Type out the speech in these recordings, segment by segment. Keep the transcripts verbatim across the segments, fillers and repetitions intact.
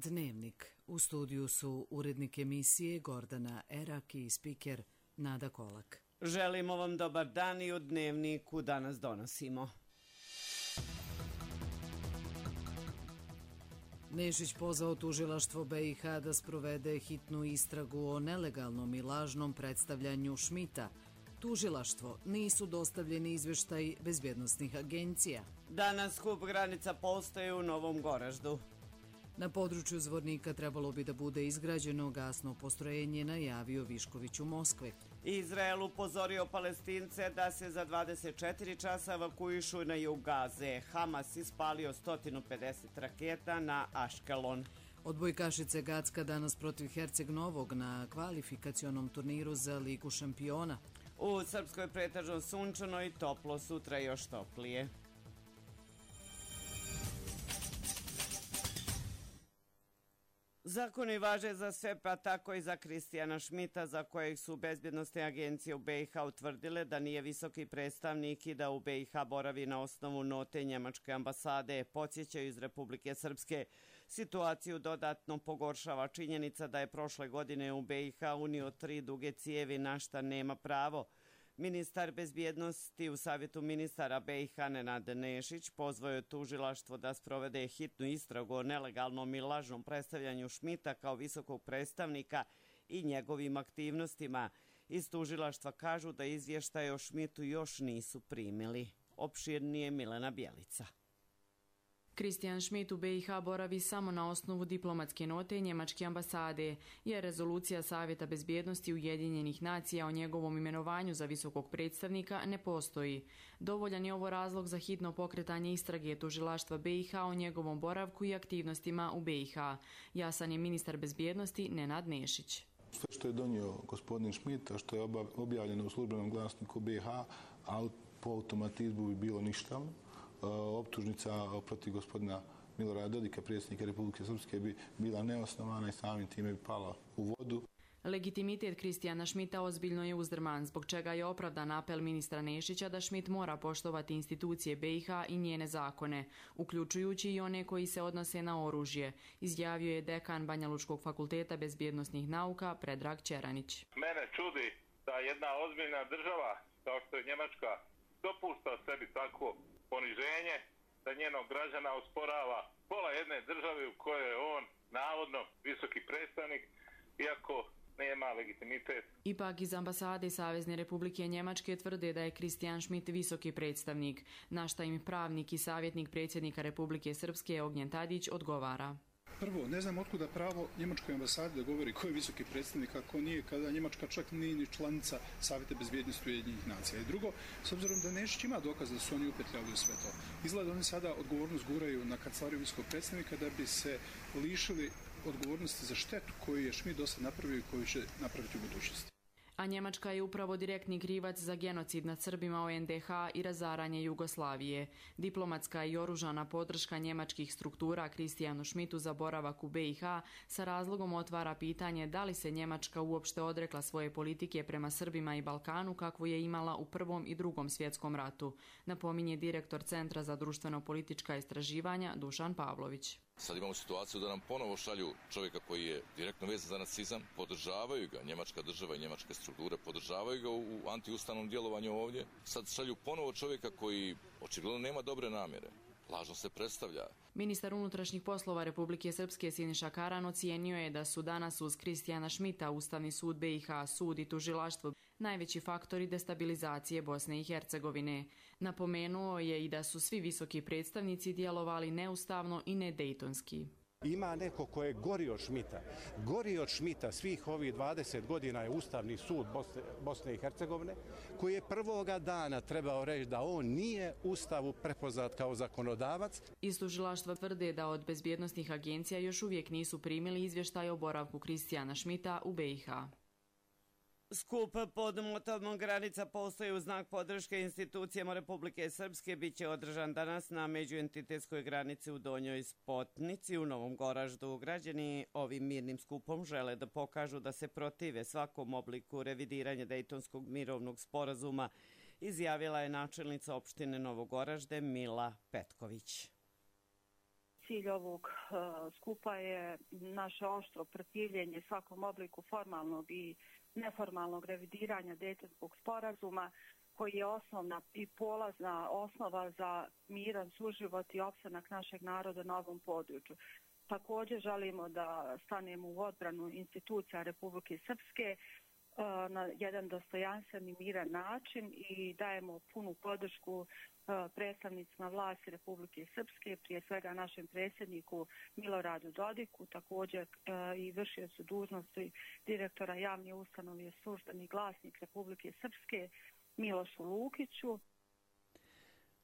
Dnevnik. U studiju su urednik emisije Gordana Erak i spiker Nada Kolak. Želimo vam dobar dan i u Dnevniku danas donosimo. Nešić pozvao tužilaštvo B i H da sprovede hitnu istragu o nelegalnom i lažnom predstavljanju Šmita. Tužilaštvo, nisu dostavljeni izveštaj bezbjednosnih agencija. Danas skup granica postoje u Novom Goraždu. Na području Zvornika trebalo bi da bude izgrađeno gasno postrojenje, najavio Višković u Moskvi. Izrael upozorio Palestince da se za dvadeset četiri časa evakuišu na jug Gaze. Hamas ispalio sto pedeset raketa na Aškelon. Odbojkašice Gacka danas protiv Herceg Novog na kvalifikacionom turniru za Ligu šampiona. U Srpskoj pretežno sunčano i toplo, sutra još toplije. Zakoni važe za sve, pa tako i za Kristijana Šmita, za kojeg su bezbjednostne agencije u B i H utvrdile da nije visoki predstavnik i da u B i H boravi na osnovu note njemačke ambasade. Podsjećaju iz Republike Srpske. Situaciju dodatno pogoršava činjenica da je prošle godine u B i H unio tri duge cijevi, na šta nema pravo. Ministar bezbjednosti u Savjetu ministara B i H Nenad Nešić pozvao je tužilaštvo da sprovede hitnu istragu o nelegalnom i lažnom predstavljanju Šmita kao visokog predstavnika i njegovim aktivnostima. Iz tužilaštva kažu da izvještaje o Šmitu još nisu primili. Opširnije Milena Bjelica. Kristijan Šmit u B i H boravi samo na osnovu diplomatske note njemačke ambasade, jer rezolucija Savjeta bezbjednosti Ujedinjenih nacija o njegovom imenovanju za visokog predstavnika ne postoji. Dovoljan je ovo razlog za hitno pokretanje istrage tužilaštva B i H o njegovom boravku i aktivnostima u B i H. Jasan je ministar bezbjednosti Nenad Nešić. Sve što je donio gospodin Šmit, a što je objavljeno u službenom glasniku B i H, ali po automatizmu bi bilo ništavno. Optužnica protiv gospodina Milorada Dodika, predsjednika Republike Srpske, bi bila neosnovana i samim time bi pala u vodu. Legitimitet Kristijana Šmita ozbiljno je uzdrman, zbog čega je opravdan apel ministra Nešića da Šmit mora poštovati institucije B i H i njene zakone, uključujući i one koji se odnose na oružje, izjavio je dekan Banjalučkog fakulteta bezbjednosnih nauka Predrag Čeranić. Mene čudi da jedna ozbiljna država, kao što je Njemačka, dopušta sebi takvo poniženje, da njenog građana osporava pola jedne države u kojoj je on navodno visoki predstavnik, iako nema legitimitet. Ipak iz ambasade Savezne Republike Njemačke tvrde da je Kristijan Šmit visoki predstavnik, na šta im pravnik i savjetnik predsjednika Republike Srpske Ognjen Tadić odgovara. Prvo, ne znam otkuda pravo njemačkoj ambasadi da govori ko je visoki predstavnik, a ko nije, kada Njemačka čak nije ni članica Savjeta bezbjednosti Ujedinjenih nacija. I drugo, s obzirom da Nešić ima dokaz da su oni upetljali u sve to, izgleda oni sada odgovornost guraju na kancelariju visokog predstavnika da bi se lišili odgovornosti za štetu koju je Šmit do sad napravio i koju će napraviti u budućnosti. A Njemačka je upravo direktni krivac za genocid nad Srbima u N D H i razaranje Jugoslavije. Diplomatska i oružana podrška njemačkih struktura Kristijanu Šmitu za boravak u B i H sa razlogom otvara pitanje da li se Njemačka uopšte odrekla svoje politike prema Srbima i Balkanu kakvu je imala u Prvom i Drugom svjetskom ratu, napominje direktor Centra za društveno-politička istraživanja Dušan Pavlović. Sad imamo situaciju da nam ponovo šalju čovjeka koji je direktno vezan za nacizam, podržavaju ga njemačka država i njemačke strukture, podržavaju ga u antiustavnom djelovanju ovdje. Sad šalju ponovo čovjeka koji očigledno nema dobre namjere. Lažno se predstavlja. Ministar unutrašnjih poslova Republike Srpske Siniša Karan ocijenio je da su danas uz Kristijana Šmita Ustavni sud B i H, sud i tužilaštvo najveći faktori destabilizacije Bosne i Hercegovine. Napomenuo je i da su svi visoki predstavnici djelovali neustavno i nedejtonski. Ima neko ko je gori od Šmita. Gori od Šmita svih ovih dvadeset godina je Ustavni sud Bosne, Bosne i Hercegovine, koji je prvoga dana trebao reći da on nije Ustavu prepoznat kao zakonodavac. Iz tužilaštva tvrde da od bezbjednosnih agencija još uvijek nisu primili izvještaj o boravku Kristijana Šmita u B i H. Skup pod motom granica postoji u znak podrške institucijama Republike Srpske. Biće održan danas na međuentitetskoj granici u Donjoj Spotnici u Novom Goraždu. Građani ovim mirnim skupom žele da pokažu da se protive svakom obliku revidiranja Dejtonskog mirovnog sporazuma, izjavila je načelnica opštine Novogoražde Mila Petković. cilj ovog skupa je naše oštro protivljenje svakom obliku formalnog i neformalnog revidiranja Dejtonskog sporazuma, koji je osnovna i polazna osnova za miran suživot i opstanak našeg naroda na ovom području. Također želimo da stanemo u odbranu institucija Republike Srpske na jedan dostojanstven i miran način i dajemo punu podršku predstavnicima vlasti Republike Srpske, prije svega našem predsjedniku Miloradu Dodiku, također i vršiocu dužnosti direktora javne ustanove Službeni glasnik Republike Srpske Milošu Lukiću.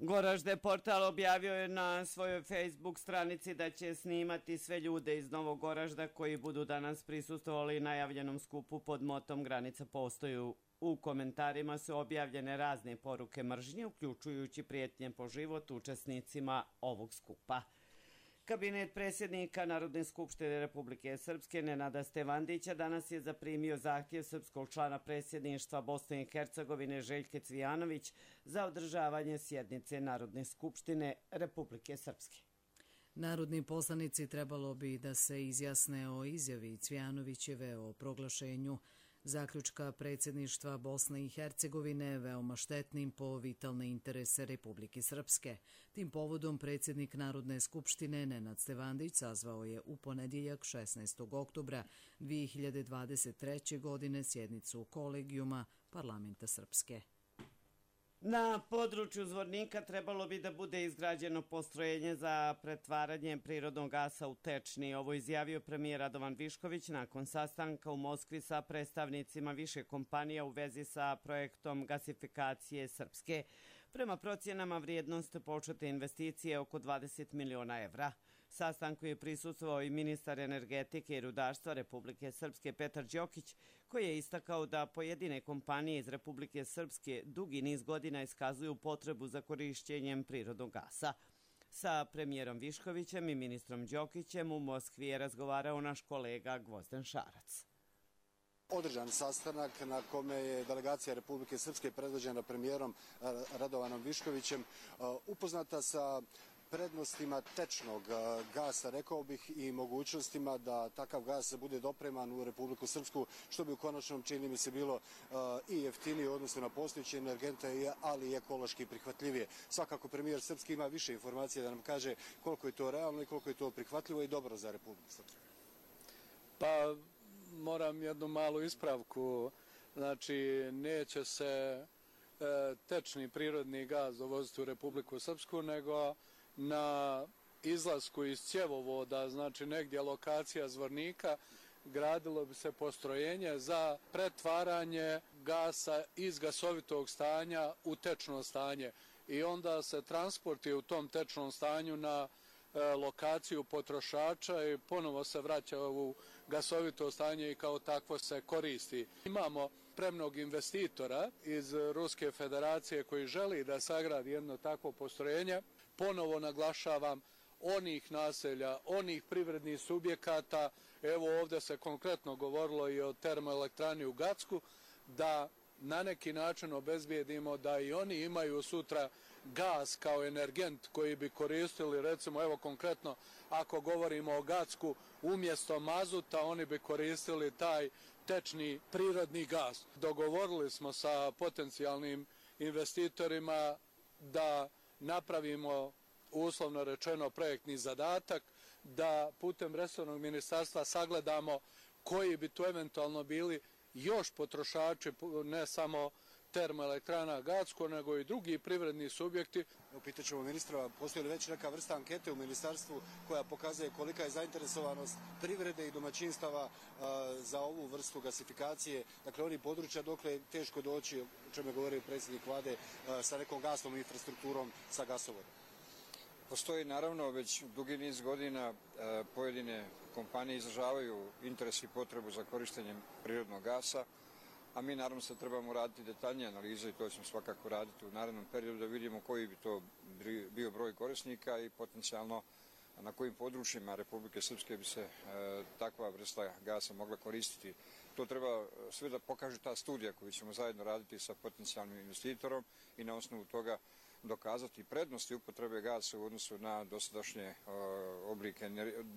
Goražde portal objavio je na svojoj Facebook stranici da će snimati sve ljude iz Novog Goražda koji budu danas prisustvovali najavljenom skupu pod motom Granica postoju. U komentarima su objavljene razne poruke mržnje, uključujući prijetnje po život učesnicima ovog skupa. Kabinet predsjednika Narodne skupštine Republike Srpske Nenada Stevandića danas je zaprimio zahtjev srpskog člana predsjedništva Bosne i Hercegovine Željke Cvijanović za održavanje sjednice Narodne skupštine Republike Srpske. Narodni poslanici trebalo bi da se izjasne o izjavi Cvijanovićeve o proglašenju zaključka predsjedništva Bosne i Hercegovine veoma štetnim po vitalne interese Republike Srpske. Tim povodom predsjednik Narodne skupštine Nenad Stevandić sazvao je u ponedjeljak šesnaestog oktobra dvije hiljade dvadeset treće. godine sjednicu kolegijuma Parlamenta Srpske. Na području Zvornika trebalo bi da bude izgrađeno postrojenje za pretvaranje prirodnog gasa u tečni. Ovo izjavio premijer Radovan Višković nakon sastanka u Moskvi sa predstavnicima više kompanija u vezi sa projektom gasifikacije Srpske. Prema procjenama vrijednost počete investicije oko dvadeset miliona evra. Sastanku je prisustvovao i ministar energetike i rudarstva Republike Srpske Petar Đokić, koji je istakao da pojedine kompanije iz Republike Srpske dugi niz godina iskazuju potrebu za korišćenjem prirodnog gasa. Sa premijerom Viškovićem i ministrom Đokićem u Moskvi je razgovarao naš kolega Gvozden Šarac. Održan sastanak na kome je delegacija Republike Srpske predvođena premijerom Radovanom Viškovićem upoznata sa prednostima tečnog gasa, rekao bih, i mogućnostima da takav gas bude dopreman u Republiku Srpsku, što bi u konačnom, čini mi se, bilo i jeftinije u odnosu na postojeće energente, ali i ekološki prihvatljivije. Svakako premijer Srpski ima više informacija da nam kaže koliko je to realno i koliko je to prihvatljivo i dobro za Republiku Srpsku. Pa moram jednu malu ispravku. Znači, neće se tečni prirodni gaz dovoziti u Republiku Srpsku, nego na izlasku iz cjevovoda, znači negdje lokacija Zvornika, gradilo bi se postrojenje za pretvaranje gasa iz gasovitog stanja u tečno stanje i onda se transportuje u tom tečnom stanju na lokaciju potrošača i ponovo se vraća u gasovito stanje i kao takvo se koristi. Imamo spremnog investitora iz Ruske federacije koji želi da sagradi jedno takvo postrojenje. Ponovo naglašavam, onih naselja, onih privrednih subjekata, evo ovdje se konkretno govorilo i o termoelektrani u Gacku, da na neki način obezbijedimo da i oni imaju sutra gas kao energent koji bi koristili, recimo evo konkretno ako govorimo o Gacku, umjesto mazuta oni bi koristili taj tečni prirodni gas. Dogovorili smo sa potencijalnim investitorima da napravimo, uslovno rečeno, projektni zadatak, da putem resornog ministarstva sagledamo koji bi to eventualno bili još potrošači, ne samo termoelektrana Gacko, nego i drugi privredni subjekti. Upitat ćemo ministra, postoji li već neka vrsta ankete u ministarstvu koja pokazuje kolika je zainteresovanost privrede i domaćinstava za ovu vrstu gasifikacije, dakle oni područja dokle je teško doći, o čemu je govorio predsjednik vlade, sa nekom gasnom infrastrukturom, sa gasovodom? Postoji naravno već dugi niz godina pojedine kompanije izražavaju interes i potrebu za korištenjem prirodnog gasa, a mi naravno sad trebamo raditi detaljnije analize i to ćemo svakako raditi u narednom periodu da vidimo koji bi to bio broj korisnika i potencijalno na kojim područjima Republike Srpske bi se takva vrsta gasa mogla koristiti. To treba sve da pokaže ta studija koju ćemo zajedno raditi sa potencijalnim investitorom i na osnovu toga dokazati prednosti upotrebe gasa u odnosu na dosadašnje oblike,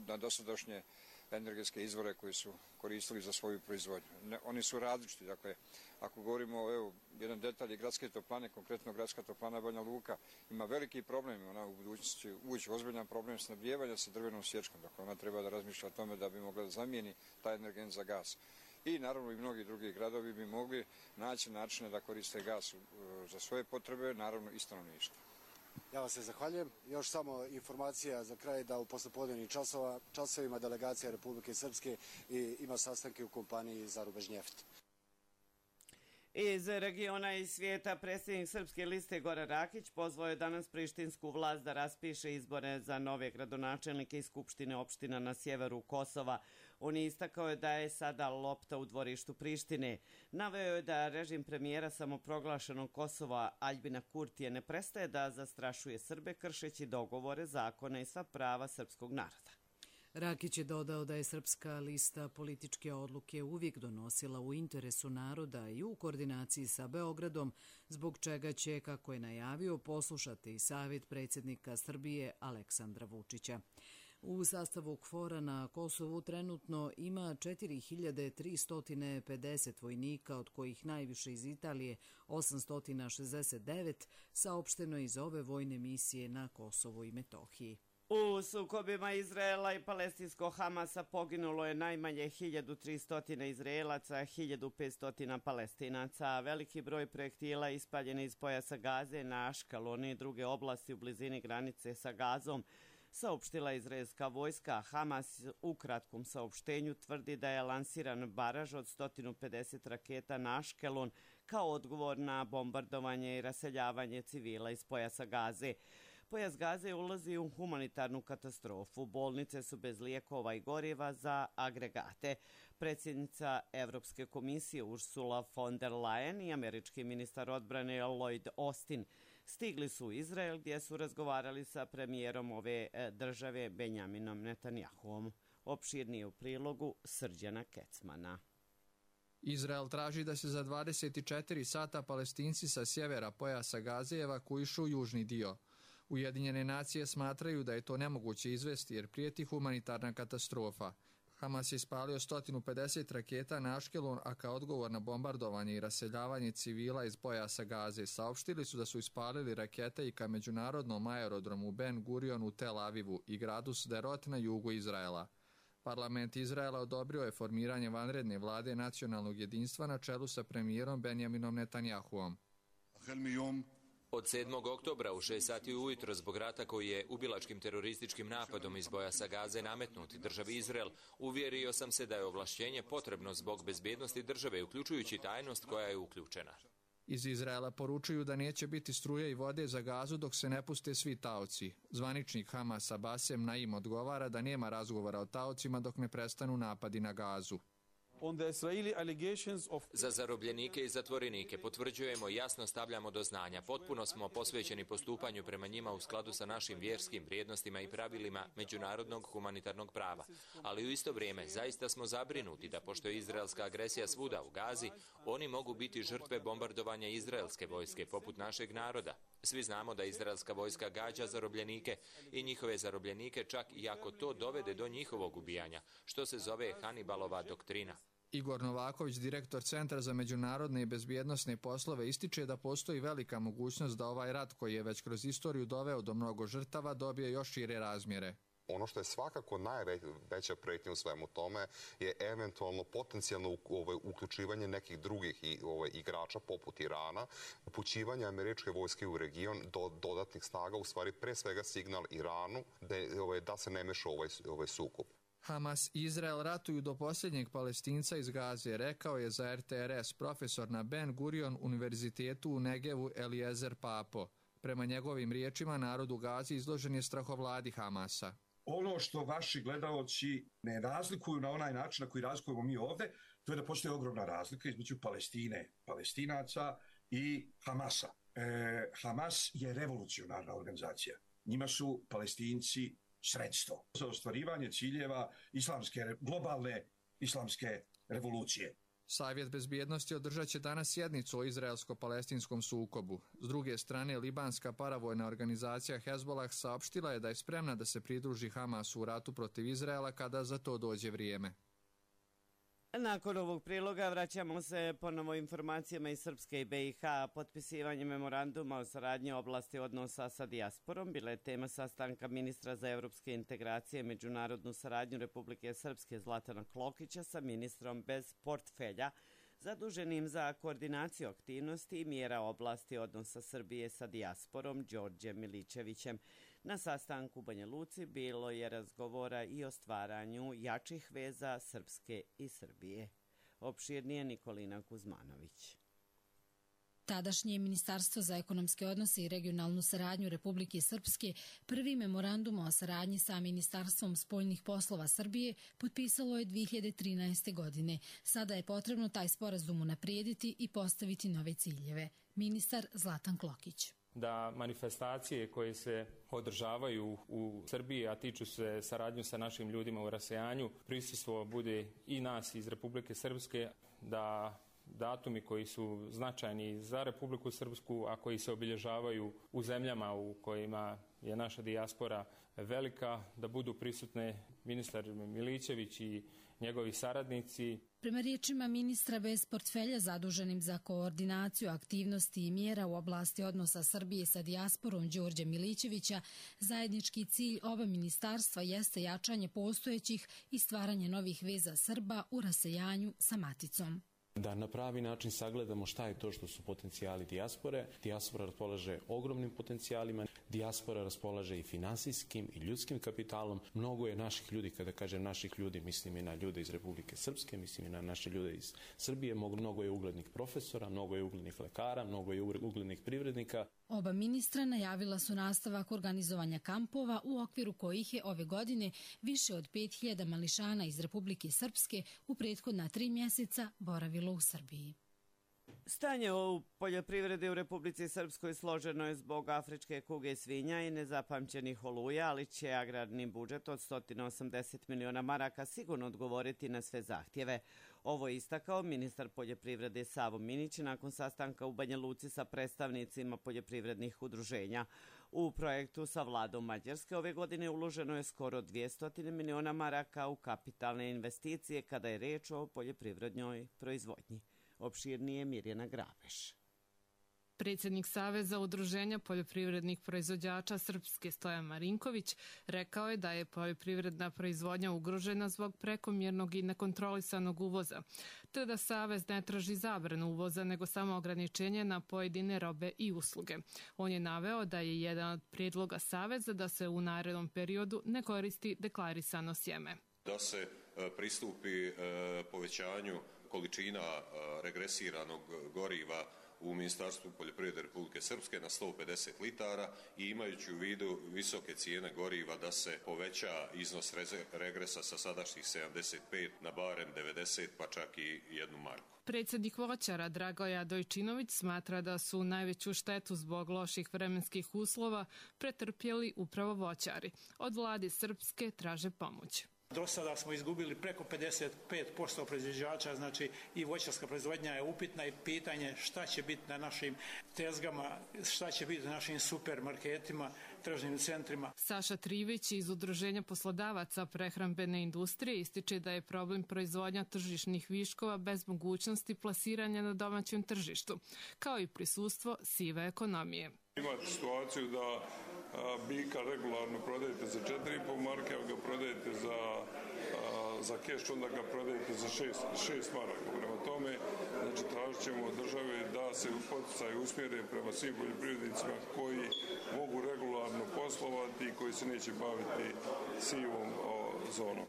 na dosadašnje energetske izvore koji su koristili za svoju proizvodnju. Ne, oni su različiti, dakle, ako govorimo, evo, jedan detalj je gradske toplane, konkretno gradska toplana Banja Luka, ima veliki problem, ona u budućnosti ući ozbiljan problem snabdijevanja sa drvenom sječkom, dakle, ona treba da razmišlja o tome da bi mogla da zamijeni taj energent za gas. I naravno i mnogi drugi gradovi bi mogli naći načine da koriste gas za svoje potrebe, naravno i stanovništvo. Ja vas se zahvaljujem. Još samo informacija za kraj da u poslepodnevnim časovima delegacija Republike Srpske ima sastanke u kompaniji Zarubežnjeft. Iz regiona i svijeta predsjednik Srpske liste Goran Rakić pozvao je danas prištinsku vlast da raspiše izbore za nove gradonačelnike i skupštine opština na sjeveru Kosova. On je istakao je da je sada lopta u dvorištu Prištine. Naveo je da režim premijera samoproglašenog Kosova Aljbina Kurtije ne prestaje da zastrašuje Srbe kršeći dogovore, zakone i sva prava srpskog naroda. Rakić je dodao da je Srpska lista političke odluke uvijek donosila u interesu naroda i u koordinaciji sa Beogradom, zbog čega će, kako je najavio, poslušati savjet predsjednika Srbije Aleksandra Vučića. U sastavu KFOR-a na Kosovu trenutno ima četiri hiljade tristo pedeset vojnika, od kojih najviše iz Italije osamsto šezdeset devet, saopšteno iz ove vojne misije na Kosovu i Metohiji. U sukobima Izraela i palestinskog Hamasa poginulo je najmanje hiljadu tristo Izraelaca, hiljadu petsto Palestinaca. Veliki broj projektila ispaljen iz pojasa Gaze na Aškalon i druge oblasti u blizini granice sa Gazom, saopštila izraelska vojska. Hamas u kratkom saopštenju tvrdi da je lansiran baraž od sto pedeset raketa na Aškelon kao odgovor na bombardovanje i raseljavanje civila iz pojasa Gaze. Pojas Gaze ulazi u humanitarnu katastrofu. Bolnice su bez lijekova i goriva za agregate. Predsjednica Evropske komisije Ursula von der Leyen i američki ministar odbrane Lloyd Austin stigli su u Izrael gdje su razgovarali sa premijerom ove države Benjaminom Netanjahuom. Opširnije u prilogu Srđana Kecmana. Izrael traži da se za dvadeset četiri sata Palestinci sa sjevera pojasa Gaze evakuišu u južni dio. Ujedinjene nacije smatraju da je to nemoguće izvesti jer prijeti humanitarna katastrofa. Hamas je ispalio sto pedeset raketa na Aškelon, a kao odgovor na bombardovanje i raseljavanje civila iz pojasa Gaze saopštili su da su ispalili rakete i ka međunarodnom aerodromu Ben Gurion u Tel Avivu i gradu Sderot na jugu Izraela. Parlament Izraela odobrio je formiranje vanredne vlade nacionalnog jedinstva na čelu sa premijerom Benjaminom Netanjahuom. Od sedmog oktobra u šest sati ujutro zbog rata koji je ubilačkim terorističkim napadom iz pojasa Gaze nametnut državi Izrael, uvjerio sam se da je ovlašćenje potrebno zbog bezbjednosti države, uključujući tajnost koja je uključena. Iz Izraela poručuju da neće biti struje i vode za Gazu dok se ne puste svi taoci. Zvaničnik Hamasa Basem Naim odgovara da nema razgovora o taocima dok ne prestanu napadi na Gazu. Za zarobljenike i zatvorenike potvrđujemo i jasno stavljamo do znanja. Potpuno smo posvećeni postupanju prema njima u skladu sa našim vjerskim vrijednostima i pravilima međunarodnog humanitarnog prava. Ali u isto vrijeme zaista smo zabrinuti da pošto je izraelska agresija svuda u Gazi, oni mogu biti žrtve bombardovanja izraelske vojske poput našeg naroda. Svi znamo da izraelska vojska gađa zarobljenike i njihove zarobljenike čak i ako to dovede do njihovog ubijanja, što se zove Hanibalova doktrina. Igor Novaković, direktor Centra za međunarodne i bezbjednosne poslove, ističe da postoji velika mogućnost da ovaj rat koji je već kroz istoriju doveo do mnogo žrtava dobije još šire razmjere. Ono što je svakako najveća prijetnja u svemu tome je eventualno potencijalno uključivanje nekih drugih igrača poput Irana, upućivanje američke vojske u region do dodatnih snaga, u stvari pre svega signal Iranu da se ne meša ovaj sukob. Hamas i Izrael ratuju do posljednjeg Palestinca iz Gaze, rekao je za R T R S profesor na Ben Gurion univerzitetu u Negevu Eliezer Papo. Prema njegovim riječima, narod u Gazi izložen je strahovladi Hamasa. Ono što vaši gledaoci ne razlikuju na onaj način na koji razlikujemo mi ovdje, to je da postoji ogromna razlika između Palestine, Palestinaca i Hamasa. E, Hamas je revolucionarna organizacija. Njima su Palestinci sredstvo za ostvarivanje ciljeva islamske, globalne islamske revolucije. Savjet bezbjednosti održat će danas sjednicu o izraelsko-palestinskom sukobu. S druge strane, libanska paravojna organizacija Hezbollah saopštila je da je spremna da se pridruži Hamasu u ratu protiv Izraela kada za to dođe vrijeme. Nakon ovog priloga vraćamo se ponovo informacijama iz Srpske i be i ha. Potpisivanje memoranduma o saradnji u oblasti odnosa sa dijasporom bila je tema sastanka ministra za evropske integracije i međunarodnu saradnju Republike Srpske Zlatana Klokića sa ministrom bez portfelja zaduženim za koordinaciju aktivnosti i mjera oblasti odnosa Srbije sa dijasporom Đorđem Milićevićem. Na sastanku u Banja Luci bilo je razgovora i o stvaranju jačih veza Srpske i Srbije. Opširnije Nikolina Kuzmanović. Tadašnje Ministarstvo za ekonomske odnose i regionalnu saradnju Republike Srpske prvi memorandum o saradnji sa Ministarstvom spoljnih poslova Srbije potpisalo je dvije hiljade trinaeste. godine. Sada je potrebno taj sporazum unaprijediti i postaviti nove ciljeve. Ministar Zlatan Klokić. Da manifestacije koje se održavaju u Srbiji, a tiču se saradnju sa našim ljudima u rasejanju, prisustvo bude i nas iz Republike Srpske, da datumi koji su značajni za Republiku Srpsku, a koji se obilježavaju u zemljama u kojima je naša dijaspora velika, da budu prisutne ministar Milićević i njegovi saradnici. Prema riječima ministra bez portfelja zaduženim za koordinaciju aktivnosti i mjera u oblasti odnosa Srbije sa dijasporom Đorđa Milićevića, zajednički cilj ova ministarstva jeste jačanje postojećih i stvaranje novih veza Srba u rasejanju sa maticom. Da na pravi način sagledamo šta je to što su potencijali dijaspore. Dijaspora raspolaže ogromnim potencijalima, dijaspora raspolaže i finansijskim i ljudskim kapitalom. Mnogo je naših ljudi, kada kažem naših ljudi, mislim i na ljude iz Republike Srpske, mislim i na naše ljude iz Srbije, mnogo je uglednih profesora, mnogo je uglednih lekara, mnogo je uglednih privrednika. Oba ministra najavila su nastavak organizovanja kampova u okviru kojih je ove godine više od pet hiljada mališana iz Republike Srpske u prethodna tri mjeseca boravilo u Srbiji. Stanje u poljoprivredi u Republici Srpskoj složeno je zbog afričke kuge svinja i nezapamćenih oluja, ali će agrarni budžet od sto osamdeset miliona maraka sigurno odgovoriti na sve zahtjeve. Ovo je istakao ministar poljoprivrede Savo Minić nakon sastanka u Banja Luci sa predstavnicima poljoprivrednih udruženja. U projektu sa vladom Mađarske ove godine uloženo je skoro dvjesto miliona maraka u kapitalne investicije kada je reč o poljoprivrednoj proizvodnji. Opširnije Mirjana Grabeš. Predsjednik Saveza udruženja poljoprivrednih proizvođača Srpske Stojan Marinković rekao je da je poljoprivredna proizvodnja ugrožena zbog prekomjernog i nekontrolisanog uvoza, te da Savez ne traži zabranu uvoza nego samo ograničenje na pojedine robe i usluge. On je naveo da je jedan od prijedloga Saveza da se u narednom periodu ne koristi deklarisano sjeme. Da se pristupi povećanju količina regresiranog goriva u Ministarstvu poljoprivrede Republike Srpske na sto pedeset litara i imajući u vidu visoke cijene goriva da se poveća iznos regresa sa sadašnjih sedamdeset pet na barem devedeset pa čak i jednu marku. Predsjednik voćara Dragoja Dojčinović smatra da su najveću štetu zbog loših vremenskih uslova pretrpjeli upravo voćari. Od vlade Srpske traže pomoć. Do sada smo izgubili preko pedeset pet posto proizvođača, znači i voćarska proizvodnja je upitna i pitanje šta će biti na našim tezgama, šta će biti na našim supermarketima, tržnim centrima. Saša Trivić iz Udruženja poslodavaca prehrambene industrije ističe da je problem proizvodnja tržišnih viškova bez mogućnosti plasiranja na domaćem tržištu, kao i prisustvo sive ekonomije. Imate situaciju da bika regularno prodajete za četiri i po marke, a ga prodajete za, za keš, onda ga prodajete za šest maraka. Prema tome, znači, tražit ćemo od države da se poticaji usmjere prema svim poljoprivrednicima koji mogu regularno poslovati i koji se neće baviti sivom zonom.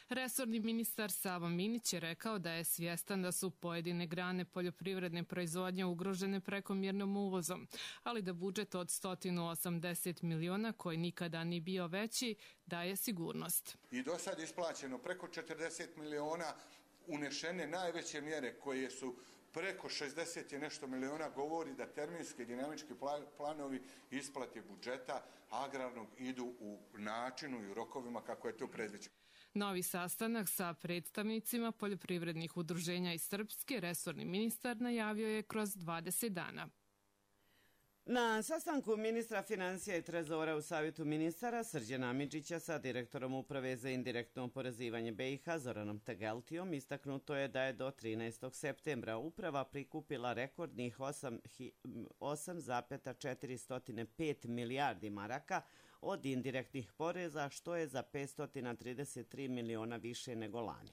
Resorni ministar Savo Minić je rekao da je svjestan da su pojedine grane poljoprivredne proizvodnje ugrožene prekomjernom uvozom, ali da budžet od sto osamdeset miliona, koji nikada ni bio veći, daje sigurnost. I do sad isplaćeno preko četrdeset miliona, unešene najveće mjere koje su preko šezdeset i nešto miliona, govori da terminski dinamički planovi isplate budžeta agrarnog idu u načinu i u rokovima kako je to predviđeno. Novi sastanak sa predstavnicima poljoprivrednih udruženja iz Srpske resorni ministar najavio je kroz dvadeset dana. Na sastanku ministra financija i trezora u Savjetu ministara Srđana Amidžića sa direktorom Uprave za indirektno oporezivanje B i H Zoranom Tegeltijom istaknuto je da je do trinaestog septembra uprava prikupila rekordnih osam zarez četiristo pet milijardi maraka od indirektnih poreza, što je za petsto trideset tri miliona više nego lani.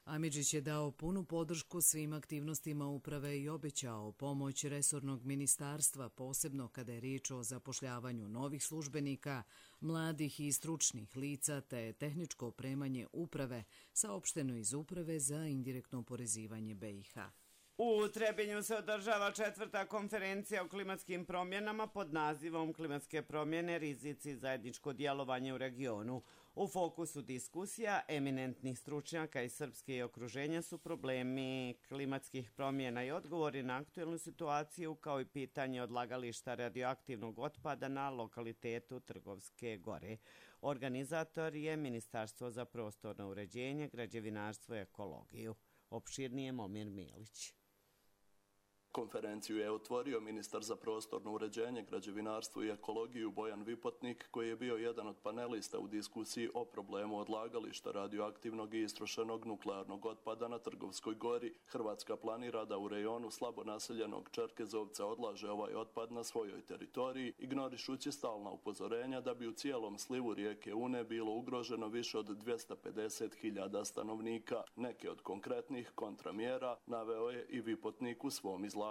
Amidžić je dao punu podršku svim aktivnostima uprave i obećao pomoć resornog ministarstva, posebno kada je riječ o zapošljavanju novih službenika, mladih i stručnih lica te tehničko opremanje uprave, saopšteno iz Uprave za indirektno oporezivanje B i H. U Trebinju se održava četvrta konferencija o klimatskim promjenama pod nazivom Klimatske promjene, rizici i zajedničko djelovanje u regionu. U fokusu diskusija eminentnih stručnjaka iz Srpske i okruženja su problemi klimatskih promjena i odgovori na aktuelnu situaciju, kao i pitanje odlagališta radioaktivnog otpada na lokalitetu Trgovske gore. Organizator je Ministarstvo za prostorno uređenje, građevinarstvo i ekologiju. Opširnije Momir Milić. Konferenciju je otvorio ministar za prostorno uređenje, građevinarstvo i ekologiju Bojan Vipotnik, koji je bio jedan od panelista u diskusiji o problemu odlagališta radioaktivnog i istrošenog nuklearnog otpada na Trgovskoj gori. Hrvatska planira da u rejonu slabo naseljenog Čerkezovca odlaže ovaj otpad na svojoj teritoriji, ignorišući stalna upozorenja da bi u cijelom slivu rijeke Une bilo ugroženo više od dvjesto pedeset hiljada stanovnika. Neke od konkretnih kontramjera naveo je i Vipotnik u svom izlaganju.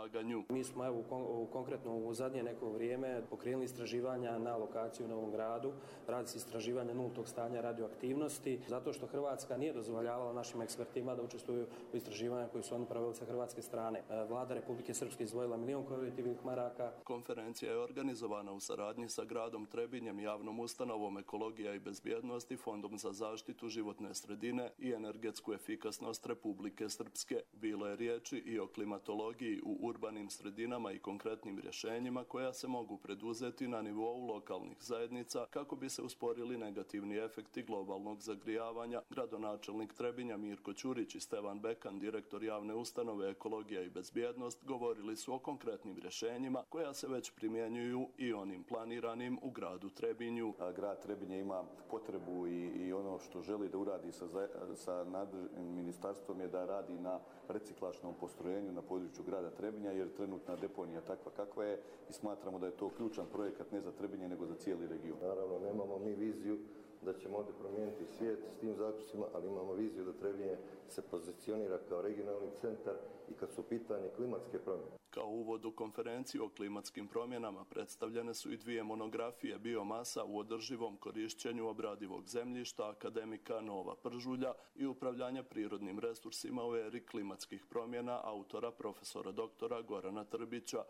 Mi smo evo, u konkretno u zadnje neko vrijeme pokrenuli istraživanja na lokaciju u Novom Gradu. Radi se istraživanja nultog stanja radioaktivnosti, zato što Hrvatska nije dozvoljavala našim ekspertima da učestvuju u istraživanju koji su oni pravili sa hrvatske strane. Vlada Republike Srpske izdvojila milijon kolektivnih maraka. Konferencija je organizovana u saradnji sa gradom Trebinjem, javnom ustanovom Ekologija i bezbjednost i Fondom za zaštitu životne sredine i energetsku efikasnost Republike Srpske. Bilo je riječi i o klimatologiji u urbanim sredinama i konkretnim rješenjima koja se mogu preduzeti na nivou lokalnih zajednica kako bi se usporili negativni efekti globalnog zagrijavanja. Gradonačelnik Trebinja Mirko Ćurić i Stevan Bekan, direktor javne ustanove Ekologija i bezbjednost, govorili su o konkretnim rješenjima koja se već primjenjuju i onim planiranim u gradu Trebinju. Grad Trebinje ima potrebu i, i ono što želi da uradi sa, sa nadležnim ministarstvom je da radi na reciklažnom postrojenju na području grada Trebinja, jer trenutna deponija takva kakva je i smatramo da je to ključan projekat ne za Trebinje nego za cijeli region. Naravno, nemamo mi viziju da ćemo ovdje promijeniti svijet s tim zaključcima, ali imamo viziju da Trebinje se pozicionira kao regionalni centar i kad su pitanje klimatske promjene. Kao uvod u konferenciju o klimatskim promjenama predstavljene su i dvije monografije biomasa u održivom korišćenju obradivog zemljišta akademika Nova Pržulja i upravljanja prirodnim resursima u eri klimatskih promjena autora profesora doktora Gorana Trbića.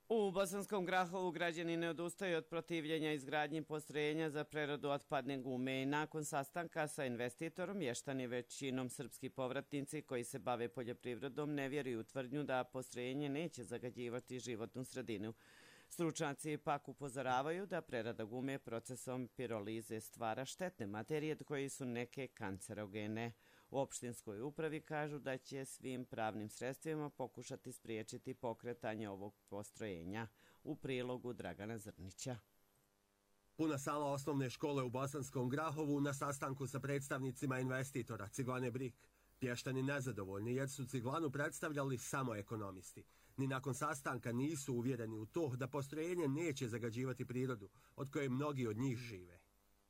U Bosanskom Grahovu građani ne odustaju od protivljenja izgradnji postrojenja za preradu otpadne gume i nakon sastanka sa investitorom mještani većinom srpski povratnici koji se bave poljoprivredom ne vjeruju u tvrdnju da postrojenje neće zagađivati životnu sredinu. Stručnjaci pak upozoravaju da prerada gume procesom pirolize stvara štetne materije koji su neke kancerogene. U opštinskoj upravi kažu da će svim pravnim sredstvima pokušati spriječiti pokretanje ovog postrojenja. U prilogu Dragana Zrnića. Puna sala osnovne škole u Bosanskom Grahovu na sastanku sa predstavnicima investitora Ciglane Brik. Mještani nezadovoljni jer su Ciglanu predstavljali samo ekonomisti. Ni nakon sastanka nisu uvjereni u to da postrojenje neće zagađivati prirodu, od koje mnogi od njih žive.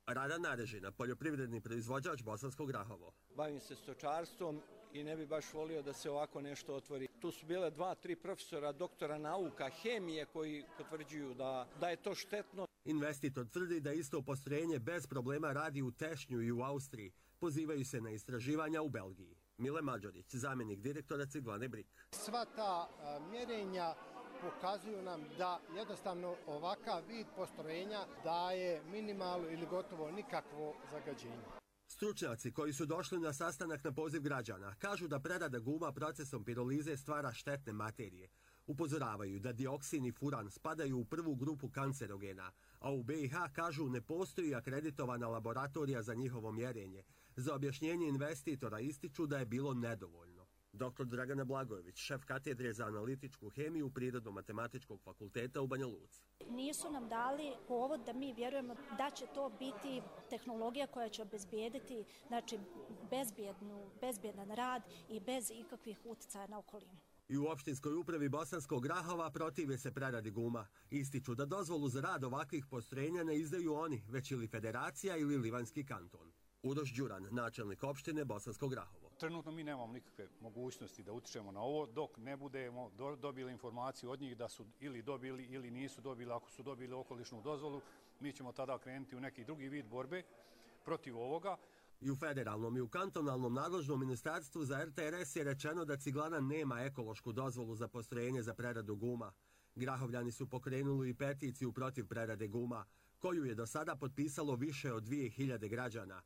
Rada Narežina, poljoprivredni proizvođač Bosanskog Grahovo. Bavim se stočarstvom i ne bi baš volio da se ovako nešto otvori. Tu su bile dva, tri profesora, doktora nauka, hemije koji potvrđuju da, da je to štetno. Investitor tvrdi da isto postrojenje bez problema radi u Tešnju i u Austriji. Pozivaju se na istraživanja u Belgiji. Mile Mađorić, zamjenik direktora Ciglane Brik. Sva ta a, mjerenja pokazuju nam da jednostavno ovakav vid postrojenja daje minimalno ili gotovo nikakvo zagađenje. Stručnjaci koji su došli na sastanak na poziv građana kažu da prerada guma procesom pirolize stvara štetne materije. Upozoravaju da dioksin i furan spadaju u prvu grupu kancerogena, a u B i H kažu ne postoji akreditovana laboratorija za njihovo mjerenje. Za objašnjenje investitora ističu da je bilo nedovoljno. doktor Dragana Blagojević, šef katedre za analitičku hemiju Prirodno-matematičkog fakulteta u Banja Luci. Nisu nam dali povod da mi vjerujemo da će to biti tehnologija koja će obezbijediti, znači, bezbjednu, bezbjedan rad i bez ikakvih utjecaja na okolinu. I u opštinskoj upravi Bosanskog Grahova protive se preradi guma. Ističu da dozvolu za rad ovakvih postrojenja ne izdaju oni, već ili federacija ili Livanjski kanton. Uroš Đuran, načelnik opštine Bosanskog Grahovo. Trenutno mi nemamo nikakve mogućnosti da utičemo na ovo dok ne budemo do, dobili informaciju od njih da su ili dobili ili nisu dobili. Ako su dobili okolišnu dozvolu, mi ćemo tada krenuti u neki drugi vid borbe protiv ovoga. I u federalnom i u kantonalnom nadležnom ministarstvu za R T R S je rečeno da Ciglana nema ekološku dozvolu za postrojenje za preradu guma. Grahovljani su pokrenuli i peticiju protiv prerade guma, koju je do sada potpisalo više od dvije hiljade građana.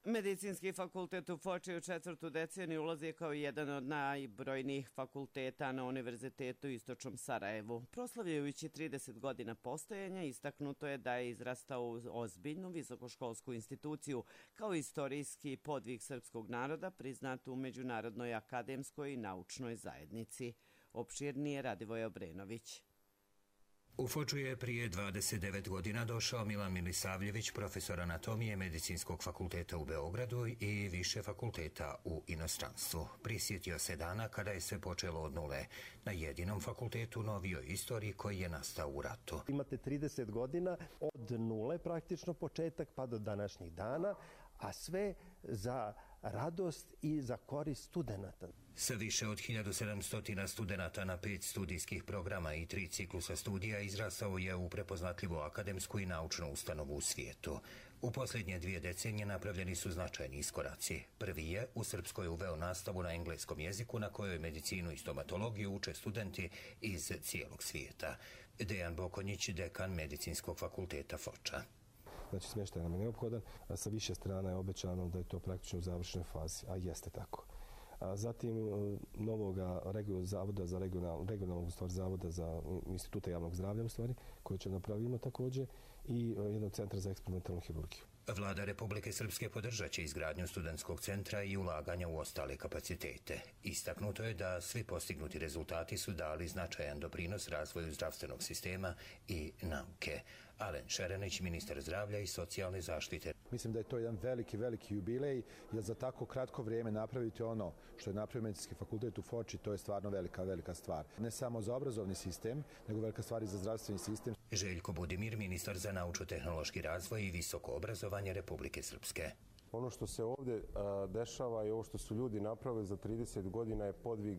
Medicinski fakultet u Foči u četvrtu deceniju ulazi kao jedan od najbrojnijih fakulteta na Univerzitetu u Istočnom Sarajevu. Proslavljajući trideset godina postojanja, istaknuto je da je izrastao u ozbiljnu visokoškolsku instituciju kao istorijski podvig srpskog naroda priznat u međunarodnoj akademskoj i naučnoj zajednici. Opširnije Radivoj Obrenović. U Foču je prije dvadeset devet godina došao Milan Milisavljević, profesor anatomije Medicinskog fakulteta u Beogradu i više fakulteta u inostranstvu. Prisjetio se dana kada je sve počelo od nule, na jedinom fakultetu novijoj istoriji koji je nastao u ratu. Imate trideset godina od nule, praktično početak pa do današnjih dana, a sve za radost i za korist studenata. Sa više od hiljadu sedamsto studenata na pet studijskih programa i tri ciklusa studija izrastao je u prepoznatljivu akademsku i naučnu ustanovu u svijetu. U posljednje dvije decenije napravljeni su značajni iskoraci. Prvi je u Srpskoj uveo nastavu na engleskom jeziku na kojoj medicinu i stomatologiju uče studenti iz cijelog svijeta. Dejan Bokonjić, dekan Medicinskog fakulteta Foča. Znači, smještaj nam je neophodan, a sa više strana je obećano da je to praktično u završnoj fazi, a jeste tako. A zatim novog zavoda za regional, regionalnog stvar, zavoda za instituta javnog zdravlja u stvari, koje će napravimo također, i jednog centra za eksperimentalnu hirurgiju. Vlada Republike Srpske podržat će izgradnju studentskog centra i ulaganja u ostale kapacitete. Istaknuto je da svi postignuti rezultati su dali značajan doprinos razvoju zdravstvenog sistema i nauke. Alen Šerenić, ministar zdravlja i socijalne zaštite. Mislim da je to jedan veliki, veliki jubilej, jer za tako kratko vrijeme napraviti ono što je napravio Medicinski fakultet u Foči, to je stvarno velika, velika stvar. Ne samo za obrazovni sistem, nego velika stvar i za zdravstveni sistem. Željko Budimir, ministar za naučno-tehnološki razvoj i visoko obrazovanje Republike Srpske. Ono što se ovdje a, dešava i ovo što su ljudi napravili za trideset godina je podvig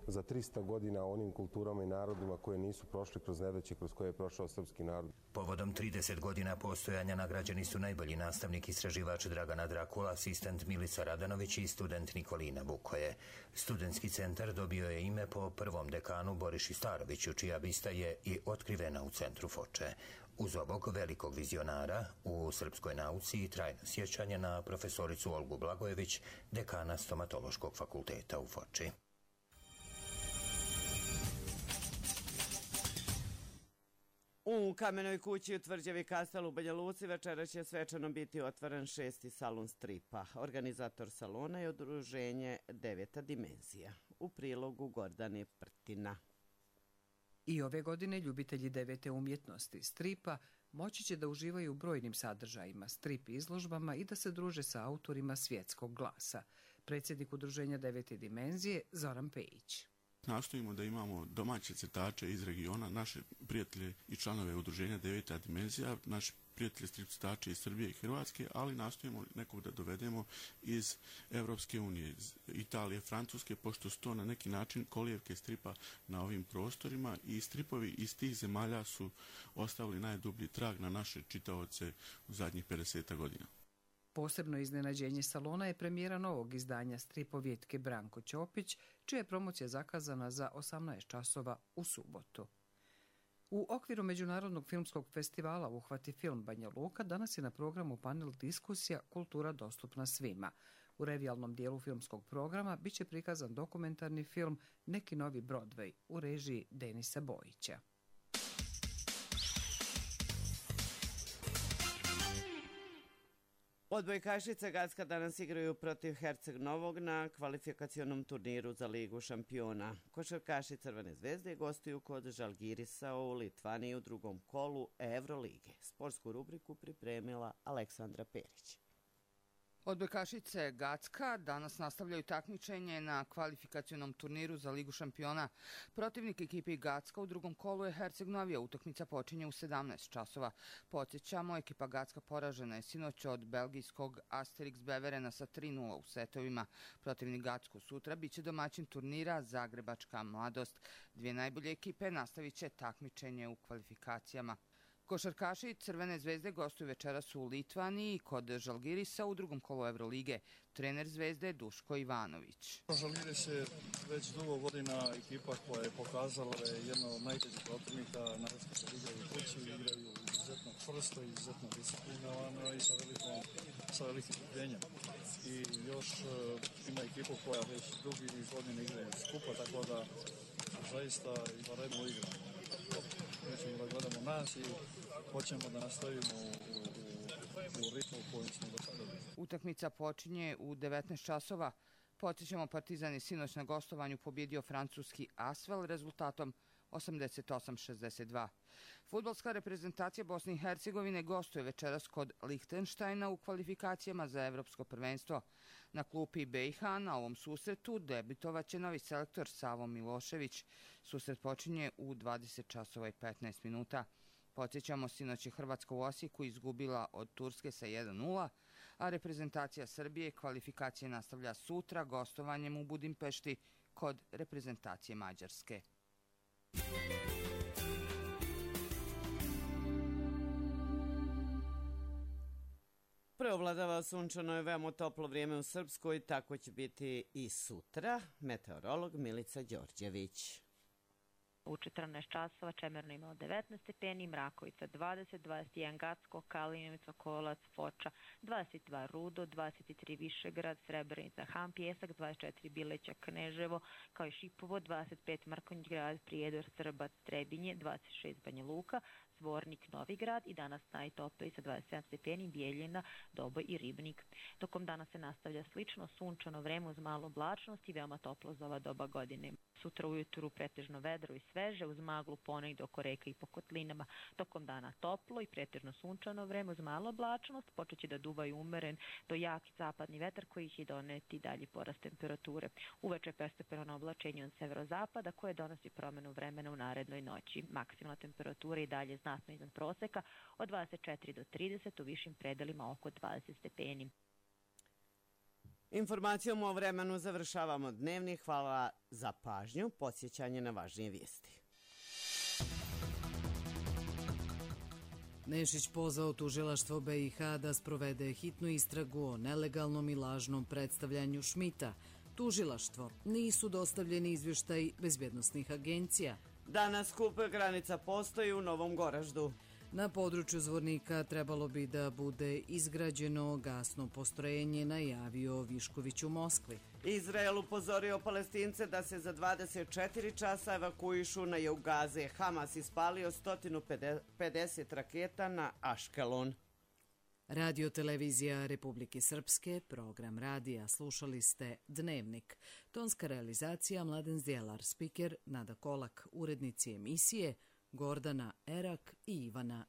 za trista godina onim kulturama i narodima koje nisu prošli kroz nedaće kroz koje je prošao srpski narod. Povodom trideset godina postojanja nagrađeni su najbolji nastavnik istraživač Dragana Drakula, asistent Milica Radanović i student Nikolina Bukoje. Studentski centar dobio je ime po prvom dekanu Boriši Staroviću, čija bista je i otkrivena u centru Foče. Uz ovog velikog vizionara u srpskoj nauci i trajno sjećanje na profesoricu Olgu Blagojević, dekana Stomatološkog fakulteta u Foči. U Kamenoj kući u Tvrđavi Kastel u Banja Luci večera će svečano biti otvoren šesti salon stripa. Organizator salona je udruženje Deveta dimenzija. U prilogu Gordane Prtina. I ove godine ljubitelji devete umjetnosti stripa moći će da uživaju u brojnim sadržajima, strip izložbama i da se druže sa autorima svjetskog glasa. Predsjednik udruženja Devete dimenzije Zoran Pejić. Nastojimo da imamo domaće crtače iz regiona, naše prijatelje i članove udruženja Deveta dimenzija, naši prijatelji strip crtače iz Srbije i Hrvatske, ali nastojimo nekog da dovedemo iz Evropske unije, iz Italije, Francuske, pošto su to na neki način kolijevke stripa na ovim prostorima i stripovi iz tih zemalja su ostavili najdublji trag na naše čitaoce u zadnjih pedeset godina. Posebno iznenađenje salona je premijera novog izdanja stripovjetke Branko Ćopić, čija je promocija zakazana za osamnaest časova u subotu. U okviru Međunarodnog filmskog festivala Uhvati film Banja Luka danas je na programu panel diskusija Kultura dostupna svima. U revijalnom dijelu filmskog programa biće prikazan dokumentarni film Neki novi Broadway u režiji Denisa Bojića. Odbojkašice Gacka danas igraju protiv Herceg Novog na kvalifikacionom turniru za Ligu šampiona. Košarkaši Crvene zvezde gostuju kod Žalgirisa u Litvaniji u drugom kolu Evrolige. Sportsku rubriku pripremila Aleksandra Perić. Odbojkašice Gacka danas nastavljaju takmičenje na kvalifikacionom turniru za Ligu šampiona. Protivnik ekipi Gacka u drugom kolu je Herceg Novija. Utakmica počinje u sedamnaest časova. Podsjećamo, ekipa Gacka poražena je sinoć od belgijskog Asterix Beverena sa tri nula u setovima. Protivnik Gacku sutra biće domaćin turnira Zagrebačka mladost. Dvije najbolje ekipe nastavit će takmičenje u kvalifikacijama. Košarkaši Crvene zvezde gostuju večeras u Litvaniji kod Žalgirisa u drugom kolu Evrolige. Trener Zvezde Duško Ivanović. Žalgiris je već dugo godina ekipa koja je pokazala da je jedna od najtežih protivnika, naravno se igraju kući, igraju izuzetno čvrsto, izuzetno disciplinovano i sa velikom, sa velikim trpljenjem. I još uh, ima ekipu koja već drugi niz godina igraju skupa, tako da zaista izvanredno igramo. Mi ćemo da gledamo nas i hoćemo da nastavimo u, u, u ritmu u kojem smo do sada. Utakmica počinje u devetnaest časova. Podsjećamo, Partizan je sinoć na gostovanju pobjedio francuski Asvel rezultatom osamdeset osam šezdeset dva. Fudbalska reprezentacija Bosne i Hercegovine gostuje večeras kod Lihtenštajna u kvalifikacijama za evropsko prvenstvo. Na klupi B i H na ovom susretu debitovaće novi selektor Savo Milošević. Susret počinje u dvadeset časova i petnaest minuta. Podsjećamo, sinoć je Hrvatska u Osijeku izgubila od Turske sa jedan nula, a reprezentacija Srbije kvalifikacije nastavlja sutra gostovanjem u Budimpešti kod reprezentacije Mađarske. Preovladava sunčano i veoma toplo vrijeme u Srpskoj, tako će biti i sutra. Meteorolog Milica Đorđević. U četrnaest časova Čemerno imao devetnaest stepeni, Mrakovica dvadeset, dvadeset jedan Gacko, Kalinovica, Kolac, Foča, dvadeset dva Rudo, dvadeset tri Višegrad, Srebrenica, Han, Pjesak, dvadeset četiri Bileća, Kneževo, kao i Šipovo, dvadeset pet Mrkonjić Grad, Prijedor, Srbac, Trebinje, dvadeset šest Banja Luka, Zvornik, Novigrad i danas najtopliji sa dvadeset sedam stepeni Bijeljina, Doboj i Ribnik. Tokom dana se nastavlja slično sunčano vreme uz malo oblačnost i veoma toplo za ova doba godine. Sutra ujutru pretežno vedro i sveže uz maglu ponegdje oko reka i po kotlinama. Tokom dana toplo i pretežno sunčano vreme uz malo oblačnost, počeće da duva i umeren do jaki zapadni vetar koji će doneti dalji porast temperature. Uveče postepeno oblačenje od severozapada koje donosi promjenu vremena u narednoj noći. Maksimalna temperatura i dalje znatno iznad proseka od dvadeset četiri do trideset, u višim predelima oko dvadeset stepeni. Informacijom o vremenu završavamo dnevni. Hvala za pažnju. Podsjećanje na važnije vijesti. Nešić pozvao tužilaštvo B i H da sprovede hitnu istragu o nelegalnom i lažnom predstavljanju Šmita. Tužilaštvo: nisu dostavljeni izvještaj bezbjednosnih agencija. Danas skup granica postoji u Novom Goraždu. Na području Zvornika trebalo bi da bude izgrađeno gasno postrojenje, najavio Višković u Moskvi. Izrael upozorio Palestince da se za dvadeset četiri časa evakuišu na jug Gaze. Hamas ispalio sto pedeset raketa na Aškelon. Radio televizija Republike Srpske, program radija. Slušali ste Dnevnik. Tonska realizacija Mladen Zdjelar, spiker Nada Kolak, urednici emisije Gordana Erak i Ivana